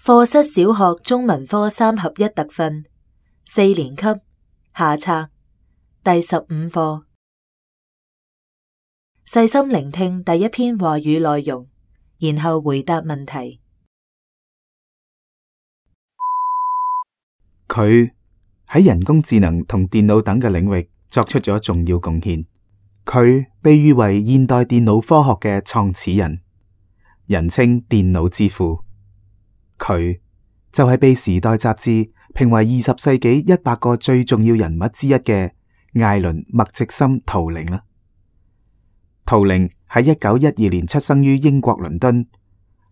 課室小學中文科3合1特訓，4年級下冊第15課。細心聆聽第一篇話語內容，然後回答問題。佢喺人工智能同電腦等嘅領域作出咗重要貢獻。佢被譽為現代電腦科學嘅創始人，人稱電腦之父。佢就係被《時代》雜誌評為20世紀100個最重要人物之一嘅艾倫麥植森圖靈啦。圖靈喺1912年出生於英國倫敦，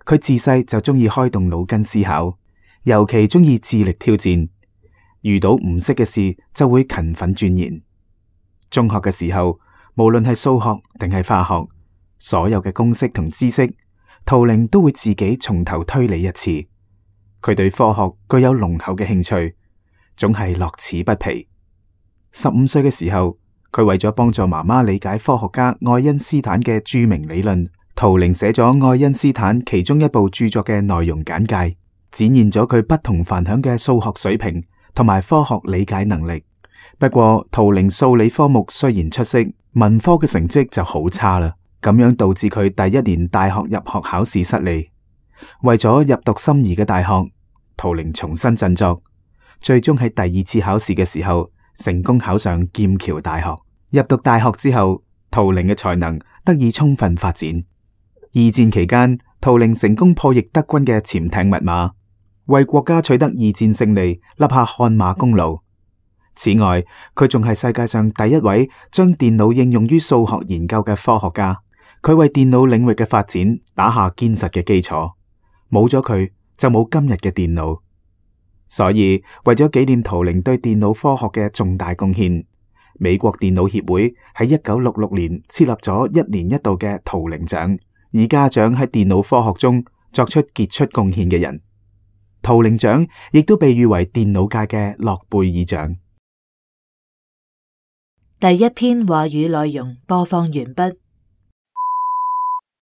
佢自細就中意開動腦筋思考，尤其中意智力挑戰，遇到唔識嘅事就會勤奮鑽研。中學嘅時候，無論係數學定係化學，所有嘅公式同知識，圖靈都會自己從頭推理一次。佢對科學具有濃厚嘅興趣，總係樂此不疲。15歲嘅時候，佢為咗幫助媽媽理解科學家愛因斯坦嘅著名理論，圖靈寫咗愛因斯坦其中一部著作嘅內容簡介，展現咗佢不同凡響嘅數學水平同埋科學理解能力。不過，圖靈數理科目雖然出色，文科嘅成績就好差啦，咁樣導致佢第一年大學入學考試失利。為咗入讀心儀嘅大學，圖靈重新振作，最終喺第二次考試嘅時候成功考上劍橋大學。入讀大學之後，圖靈嘅才能得以充分發展。二戰期間，圖靈成功破譯德軍嘅潛艇密碼，為國家取得二戰勝利立下汗馬功勞。此外，佢仲係世界上第一位將電腦應用於數學研究嘅科學家。佢為電腦領域嘅發展打下堅實嘅基礎。冇咗佢，就冇今日嘅電腦。所以為咗紀念圖靈對電腦科學嘅重大貢獻，美國電腦協會喺1966年設立咗1年1度嘅圖靈獎，以嘉獎喺電腦科學中作出傑出貢獻嘅人。圖靈獎亦都被譽為電腦界嘅諾貝爾獎。第一篇話語內容播放完畢。